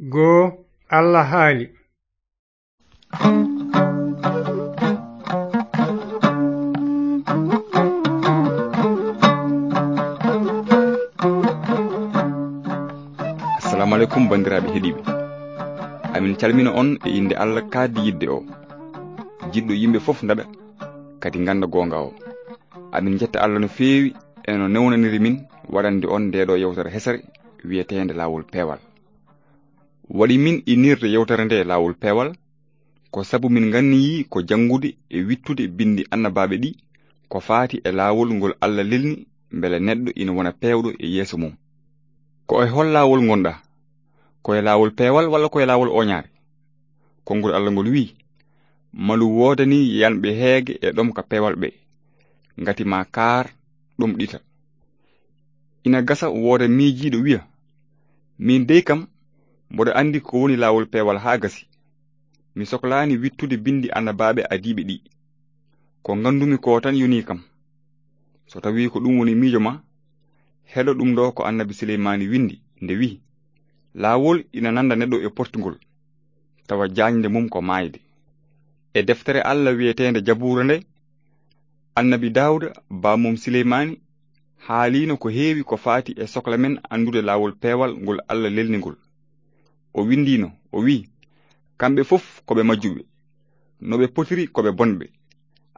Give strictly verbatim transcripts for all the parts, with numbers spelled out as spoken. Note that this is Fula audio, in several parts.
Goo, Allah haali. Assalamu aleykum, banndiraaɓe heɗiiɓe. Amin calmina on e innde Allah kaaddi yiɗde o, jiɗɗo yimɓe fof ndaɗa, kadi ngannda goonga o. Amin njetta Allah no feewi e no newnaniri min waɗande on ndeeɗo yewtere hesere wiyeteende Laawol Peewal. Waɗi min innirde yewtere nde Laawol Peewal, ko sabu min nganniyii ko janngude e wittude binndi annabaaɓe ɗi ko faati e laawol ngol Allah lelni mbele neɗɗo ina wona peewɗo e yeeso mum. Ko e hol laawol ngonɗaa? Ko e laawol peewal walla ko e laawol ooñaare? Konngol Allah ngol wiyi, malu woodanii yanɓe heege e ɗomka peewal ɓe, ngati ma kaar ɗomɗita. Ina gasa wooda miijiiɗo wiya, miin dey kam, mboɗo anndi ko woni laawol peewal haa gasi. Mi soklaani wittude binndi annabaaɓe adiiɓe ɗi. Ko nganndumi ko tan yonii kam. So tawii ko ɗum woni miijo ma, heɗo ɗum ɗo ko annabi Suleymaani winndi nde wiyi, laawol ina nannda neɗɗo e portingol, tawa jaañde mum ko maayde. E deftere Allah wiyeteende Jabuura nde, annabi Daawuda, baamum Suleymaani, haaliino ko heewi ko faati e sokla men anndude laawol peewal ngol Allah lelni ngol. O winndiino, o wiyi, kamɓe fof ko ɓe majjuɓe. No ɓe potiri ko ɓe bonɓe.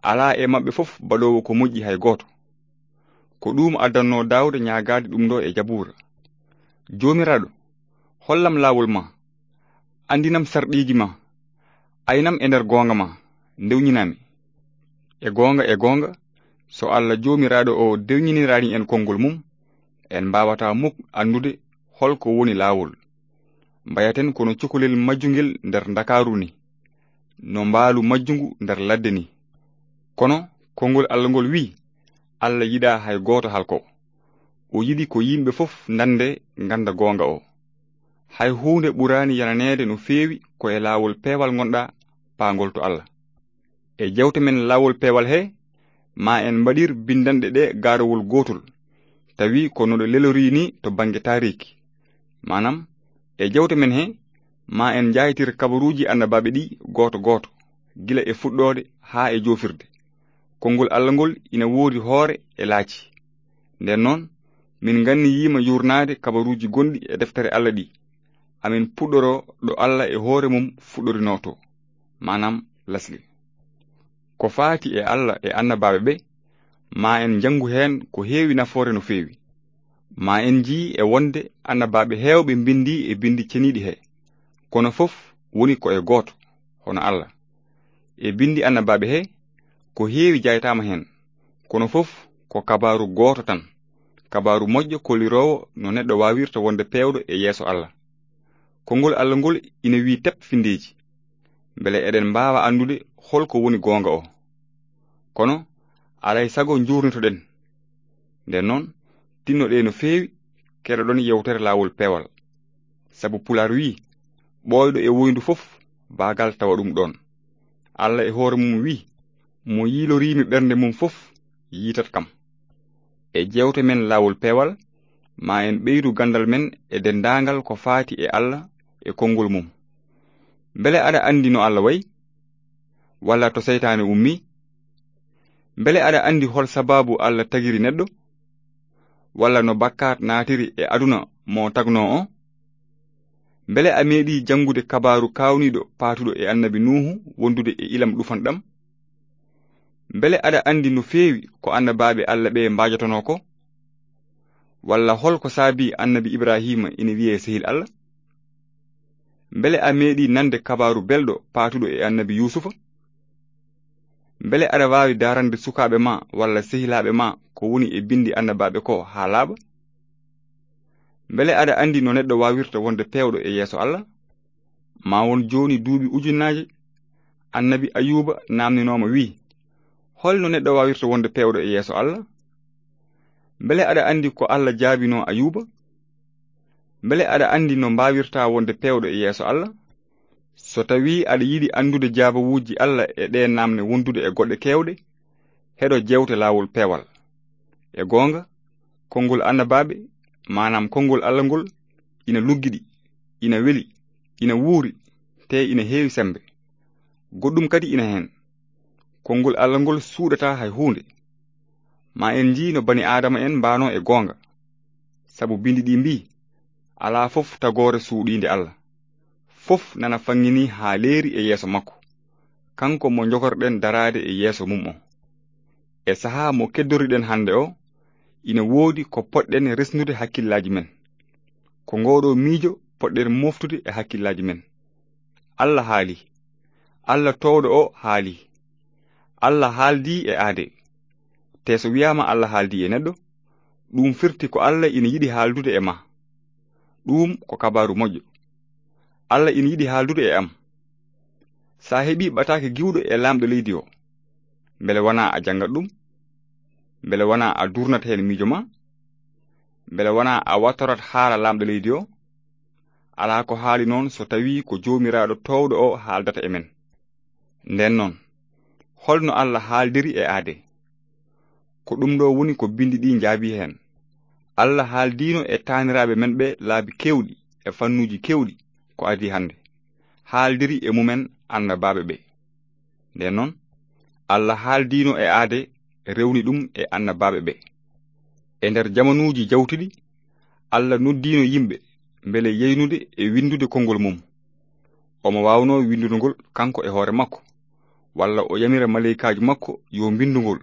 Alaa e maɓɓe fof baɗoowo ko moƴƴi hay gooto. Ko ɗum addannoo Daawuda ñaagaade ɗum ɗo e Jabuura. Joomiraaɗo, hollam laawol ma, anndinam sarɗiiji ma, aynam e nder goonga ma, ndewñinami. E goonga, e goonga, so Allah Joomiraaɗo o dewñiniraani en konngol mum, en mbaawataa muk anndude hol ko woni laawol. Mbayaten kono cukalel majjungel nder Ndakaaru ni, no mbaalu majjungu nder ladde ni. Kono konngol Allah ngol wiyi, Allah yiɗaa hay gooto halko. O yiɗi ko yimɓe fof ndande ngannda goonga o. Hay huunde ɓuraani yananeede no feewi ko e laawol peewal ngonɗaa, paangol to Allah. E jewte men laawol peewal he, ma en mbaɗir binndanɗe ɗe gaarawol gootol, tawi ko no ɗe lelorii ni to bannge taariiki. Maanam, e jewte men he, ma en njaaytir kabaruuji annabaaɓe ɗi gooto gooto, gila e fuɗɗoode haa e joofirde. Konngol Allah ngol ina woodi hoore e laaci. Nden noon, min nganniyiima yuurnaade kabaruuji gonɗi e deftere Allah ɗi. Amin puɗɗoroo ɗo Allah e hoore mum fuɗɗorinoo to, maanam lasli. Ko faati e Allah e annabaaɓe ɓe, ma en njanngu heen ko heewi nafoore no feewi. Ma en njii e wonde annabaaɓe heewɓe mbinndii e binndi ceniiɗi he, kono fof woni ko e gooto, hono Allah. E binndi annabaaɓe he, ko heewi jaytaama heen, kono fof ko kabaaru gooto tan, kabaaru moƴƴo kolliroowo no neɗɗo waawirta wonde peewɗo e yeeso Allah. Konngol Allah ngol ina wiyi tep finndeeji, mbele eɗen mbaawa anndude hol ko woni goonga o. Kono, alay sago njuurnitoɗen. Nden noon, tinnoɗee no feewi, keɗoɗon yewtere laawol peewal. Sabu Pulaar wiyi, ɓooyɗo e woyndu fof, baagal tawa ɗum ɗoon. Allah e hoore mum wiyi, mo yiiloriimi ɓernde mum fof, yiitat kam. E jewte men laawol peewal, ma en ɓeydu ganndal men e denndaangal ko faati e Allah e konngol mum. Mbele aɗa anndi no Allah wayi? Walla to seytaane ummi? Mbele aɗa anndi hol sabaabu Allah tagiri neɗɗo? Walla no bakkaat naatiri e aduna mo tagnoo o? Mbele a meeɗii janngude kabaaru kaawniiɗo paatuɗo e annabi Nuuhu wondude e ilam ɗufanɗam? Mbele aɗa anndi no feewi ko annabaaɓe Allah ɓe mbaajotonoo ko? Walla hol ko saabii annabi Ibraahiima ina wiyee sehil Allah? Mbele a meeɗii nande kabaaru belɗo paatuɗo e annabi Yuusufa? Mbele aɗa waawi daarande sukaaɓe ma walla sehilaaɓe ma ko woni e binndi annabaaɓe ko haa laaɓa? Mbele aɗa anndi no neɗɗo waawirta wonde peewɗo e yeeso Allah? Ma won jooni duuɓi ujunnaaje, annabi Ayuuba naamninooma wiyi, hol no neɗɗo waawirta wonde peewɗo e yeeso Allah? Mbele aɗa anndi ko Allah jaabinoo Ayuuba? Mbele aɗa anndi no mbaawirta wonde peewɗo e yeeso Allah? So tawii aɗa yiɗi anndude jaabawuuji Allah e ɗee naamne wondude e goɗɗe keewɗe, heɗo jewte laawol peewal. E goonga, konngol annabaaɓe, maanaam konngol Allah ngol, ina luggiɗi, ina weli, ina wuuri, te ina heewi semmbe. Goɗɗum kadi ina heen. Konngol Allah ngol suuɗataa hay huunde. Ma en njii no bani Aadama en mbaanoo e goonga. Sabu binndi ɗi mbii, "Alaa fof tagoore suuɗiinde Allah. Fof nana faŋŋinii haa leeri e yeeso makko. Kanko mo njokorɗen daraade e yeeso mum o." E sahaa mo keddoriɗen hannde o, ina woodi ko poɗɗen resnude hakkillaaji men. Ko ngooɗoo miijo poɗɗen moftude e hakkillaaji men. Allah haali. Allah toowɗo o haali. Allah haaldi e aade. Te so wiyaama Allah haaldi e neɗɗo, ɗum firti ko Allah ina yiɗi haaldude e ma. Ɗum ko kabaaru moƴƴo. Allah ina yiɗi haaldude e am. Sa heɓi ɓataake giwɗo e laamɗo leydi o, mbele wonaa a janngat ɗum? Mbele wonaa a durnat heen miijo ma? Mbele wonaa a wattorat haala laamɗo leydi o? Alaa ko haali noon so tawii ko Joomiraaɗo toowɗo o haaldata e men. Ndeen noon, holno Allah haaldiri e aade? Ko ɗum ɗo woni ko binndi ɗi njaabi heen. Allah haaldiino e taaniraaɓe men ɓe laabi keewɗi e fannuuji keewɗi ko adii hannde. Haaldiri e mumen annabaaɓe ɓe. Ndeen noon, Allah haaldiino e aade rewni ɗum e annabaaɓe ɓe. E nder jamanuuji jawtuɗi, Allah noddiino yimɓe mbele yeynude e winndude konngol mum. Omo waawnoo winndude ngol kanko e hoore makko, walla o yamira maleykaaji makko yo mbinndu ngol.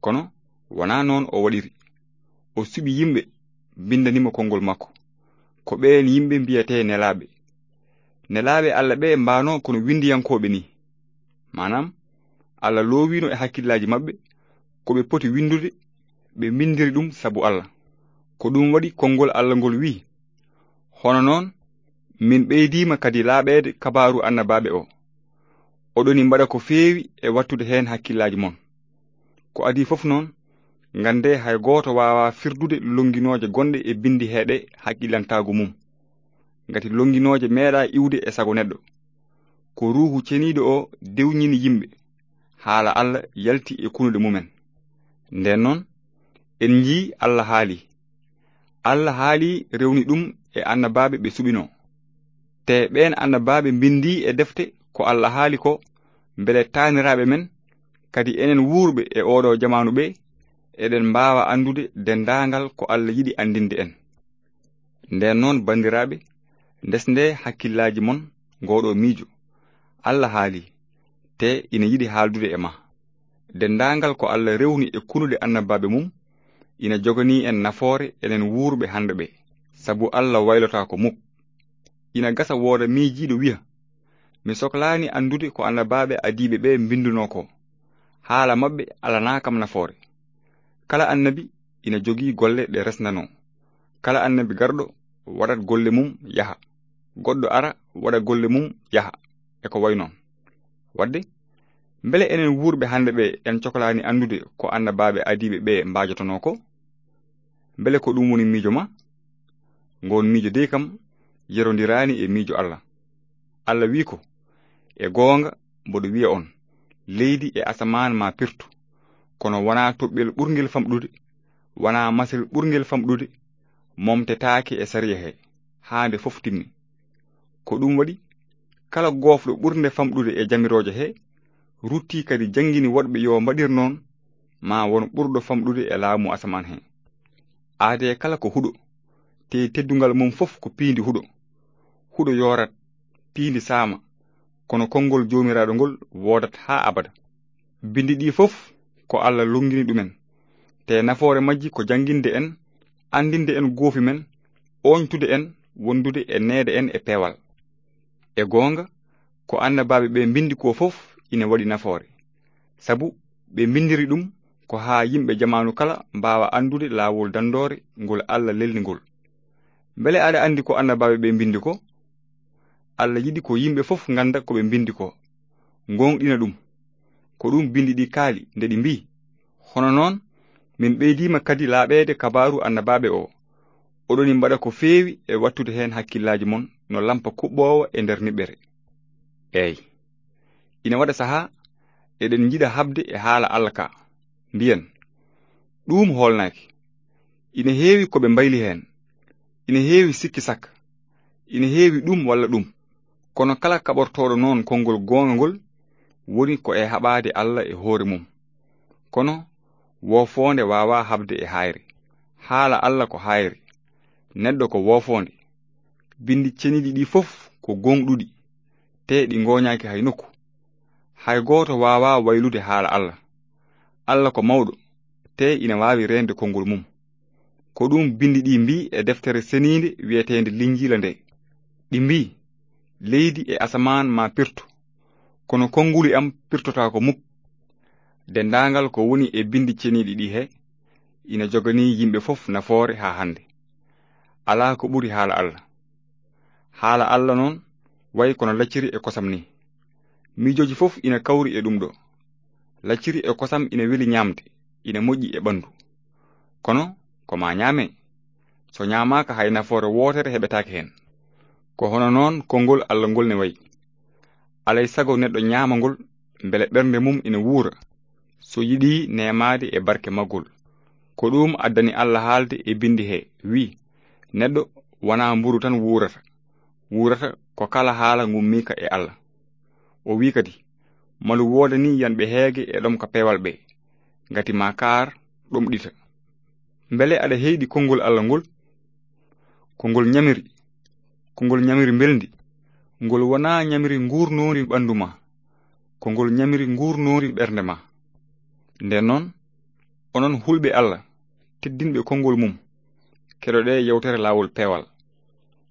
Kono wonaa noon o waɗiri. O suɓi yimɓe, mbinndani mo konngol makko. Ko ɓeen yimɓe mbiyetee nelaaɓe. Nelaaɓe Allah ɓe mbaanoo kono winndiyankooɓe ni. Maanaam, Allah loowiino e hakkillaaji maɓɓe ko ɓe poti winndude, ɓe mbinndiri ɗum sabu Allah. Ko ɗum waɗi konngol Allah ngol wi'i, "Hono noon, min ɓeydiima kadi laaɓeede kabaaru annabaaɓe o. Oɗoni mbaɗa ko feewi e wattude heen hakkillaaji mon." Ko adii fof noon, nganndee hay gooto waawaa firdude lonnginooje gonɗe e binndi heeɗe hakkillantaagu mum. Ngati lonnginooje meeɗaa iwde e sago neɗɗo. Ko Ruuhu Ceniiɗo o dewñini yimɓe, haala Allah yalti e kunuɗe mumen. Ndeen noon, en njii Allah haali. Allah haali rewni ɗum e annabaaɓe ɓe suɓinoo. Te ɓeen annabaaɓe mbinndii e defte ko Allah haali ko, mbele taaniraaɓe men, kadi enen wuurɓe e ooɗo jamaanu ɓe, eɗen mbaawa anndude denndaangal ko Allah yiɗi anndinde en. Ndeen noon, banndiraaɓe, ndesndee hakkillaaji mon ngooɗo miijo. Allah haali, te ina yiɗi haaldude e ma. Denndaangal ko Allah rewni e kunuɗe annabaaɓe mum, ina joganii en nafoore enen wuurɓe hannde ɓe, sabu Allah waylotaako muk. Ina gasa wooda miijiiɗo wiya, "Mi soklaani anndude ko annabaaɓe adiiɓe ɓe mbinndunoo ko. Haala maɓɓe alanaa kam nafoore." Kala annabi ina jogii golle ɗe resnanoo. Kala annabi garɗo waɗat golle mum yaha. Goɗɗo ara waɗa golle mum yaha. E ko wayi noon. Waɗde, mbele enen wuurɓe hannde ɓe en coklaani anndude ko annabaaɓe adiiɓe ɓe mbaajotonoo ko? Mbele ko ɗum woni miijo ma? Ngoon miijo dey kam yerondiraani e miijo Allah. Allah wi'i ko, "E goonga, mboɗo wi'a on, leydi e asamaan ma pirtu, kono wonaa toɓɓel ɓurngel famɗude, wonaa masel ɓurngel famɗude, momtetaake e sariya he, haa nde fof timmi." Ko ɗum waɗi, kala goofɗo ɓurnde famɗude e jamirooje he, ruttii kadi janngini woɗɓe yo mbaɗir noon, ma won ɓurɗo famɗude e laamu asamaan he. Aadee kala ko huɗo, te teddungal mum fof ko piindi huɗo. Huɗo yoorat, piindi saama, kono konngol Joomiraaɗo ngol woodat haa abada. Binndi ɗi fof ko Allah lonngini ɗumen, te nafoore majji ko jannginde en, anndinde en goofi men, ooñtude en, wondude e neede en e peewal. E goonga, ko annabaaɓe ɓe mbinndi ko fof ina waɗi nafoore, sabu ɓe mbinndiri ɗum ko haa yimɓe jamaanu kala mbaawa anndude laawol danndoore ngol Allah lelni ngol. Mbele aɗa anndi ko annabaaɓe ɓe mbinndi ko? Allah yiɗi ko yimɓe fof ngannda ko ɓe mbinndi ko, ngoongɗina ɗum. Ko ɗum binndi ɗi kaali nde ɗi mbii, "Hono noon, min ɓeydiima kadi laaɓeede kabaaru annabaaɓe o. Oɗoni mbaɗa ko feewi e wattude heen hakkillaaji mon no lampa kuɓɓoowo e nder niɓɓere." Eey, ina waɗa sahaa eɗen njiɗa haɓde e haala Allah ka, mbiyen, "Ɗuum hoolnaaki." Ina heewi ko ɓe mbayli heen. Ina heewi sikki sakka. Ina heewi ɗum walla ɗum. Kono kala kaɓortooɗo noon konngol goonga ngol, woni ko e haɓaade Alla e hoore mum. Kono woofoonde waawaa haɓde e haayre. Haala Alla ko haayre, neɗɗo ko woofoonde. Binndi ceniiɗi ɗi fof ko gooŋɗuɗi, tee ɗi ngooñaaki hay nokku. Hay gooto waawaa waylude haala Alla. Alla ko mawɗo, tee ina waawi reende konngol mum. Ko ɗum binndi ɗi mbii e deftere seniinde wiyeteende Linjiila nde. Ɗi mbii, "Leydi e asamaan ma pirtu, kono konnguli am pirtotaako muk." Denndaangal ko woni e binndi ceniiɗi ɗi he, ina joganii yimɓe fof nafoore haa hannde. Alaa ko ɓuri haala Alla. Haala Alla noon wayi kono lacciri e kosam ni. Miijooji fof ina kawri e ɗum ɗo. Lacciri e kosam ina weli ñaamde, ina moƴƴi e ɓanndu. Kono ko ma ñaame. So ñaamaaka hay nafoore wootere heɓetaake heen. Ko hono noon konngol Alla ngol ne wayi. Alay sago neɗɗo ñaama ngol, mbele ɓernde mum ina wuura, so yiɗi neemaade e barke maggol. Ko ɗum addani Alla haalde e binndi he, wi, "Neɗɗo wonaa mburu tan wuurata. Wuurata ko kala haala ngummiika e Alla." O wi kadi, "Malu woodanii yanɓe heege e ɗomka peewal ɓe, ngati ma kaar ɗomɗita." Mbele aɗa heyɗi konngol Alla ngol? Ko ngol ñamiri, ko ngol ñamiri mbelndi, ngol wonaa ñamiri nguurnoori ɓanndu ma, ko ngol ñamiri nguurnoori ɓernde ma. Nden noon, onon hulɓe Alla, teddinɓe konngol mum, keɗoɗee yewtere Laawol Peewal.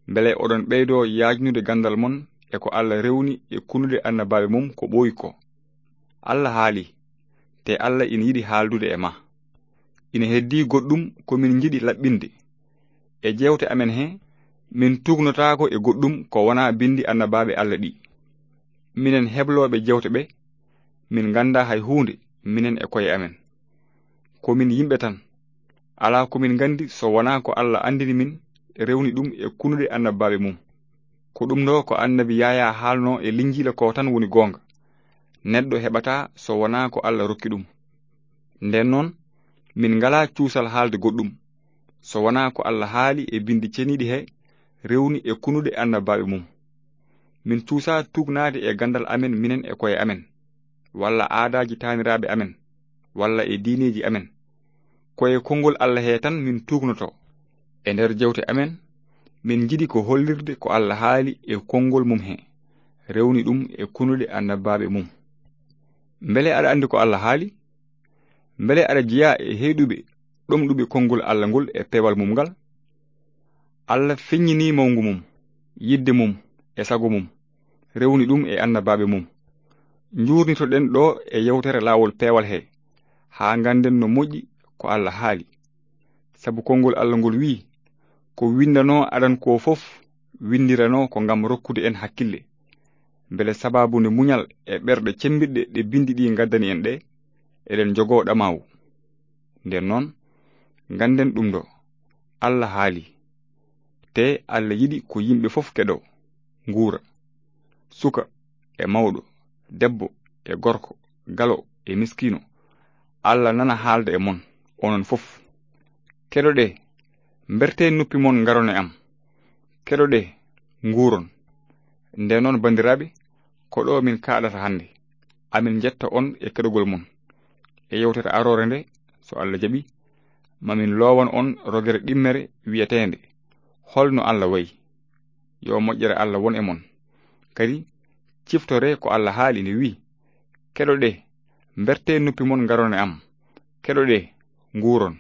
Mbele oɗon ɓeydoo yaajnude ganndal mon e ko Alla rewni e kunuɗe annabaaɓe mum ko ɓooyi ko. Alla haali, te Alla ina yiɗi haaldude e ma. Ina heddii goɗɗum ko min njiɗi laɓɓinde. E jeewte amen he, min tuugnotaako e goɗɗum ko wonaa binndi annabaaɓe Alla ɗi. Minen heblooɓe jeewte ɓe, min nganndaa hay huunde, minen e koye amen. Ko min yimɓe tan. Alaa ko min nganndi so wonaa ko Alla anndini min, rewni ɗum e kunuɗe annabaaɓe mum. Ko ɗum ɗo ko annabi Yaayaa haalnoo e Linjiila ko tan woni goonga. Neɗɗo heɓataa so wonaa ko Alla rokki ɗum. Nden noon, min ngalaa cuusal haalde goɗɗum, so wonaa ko Alla haali e binndi ceniiɗi he, rewni e kunuɗe annabaaɓe mum. Min cuusaa tuugnaade e ganndal amen minen e koye amen, walla aadaaji taaniraaɓe amen, walla e diineeji amen. Ko e konngol Alla he tan min tuugnotoo. E nder jeewte amen, min njiɗi ko hollirde ko Alla haali e konngol mum he, rewni ɗum e kunuɗe annabaaɓe mum. Mbele aɗa anndi ko Alla haali? Mbele aɗa jeyaa e heyɗuɓe ɗomɗuɓe konngol Alla ngol e peewal mum ngal? Alla feññinii mawngu mum, yiɗde mum e sago mum, rewni ɗum e annabaaɓe mum. Njuurnitoɗen ɗo e yewtere Laawol Peewal he, haa ngannden no moƴƴi ko Alla haali. Sabu konngol Alla ngol wiyi, "Ko winndanoo adan ko fof, winndiranoo ko ngam rokkude en hakkille, mbele sabaabu nde muñal e ɓerɗe cemmbiɗɗe ɗe binndi ɗi ngaddani en ɗe, eɗen njogoo ɗamaawu." Nden noon, ngannden ɗum ɗo, Alla haali, te Alla yiɗi ko yimɓe fof keɗoo, nguura, suka e mawɗo, debbo e gorko, galo e miskiino. Alla nana haalda e mon, onon fof. Keɗoɗee, mbertee noppi mon, ngaron e am. Keɗoɗee, nguuron. Nden noon, banndiraaɓe, ko ɗo min kaaɗata hannde. Amin njetta on e keɗogol mon. E yewtere aroore nde, so Alla jaɓi, mamin loowan on rogere ɗimmere wiyeteende, "Holno Alla wayi?" Yo moƴƴere Alla won e mon. Kadi, ciftoree ko Alla haali nde wiyi, "Keɗoɗee, mbertee noppi mon, ngaron e am. Keɗoɗee, nguuron."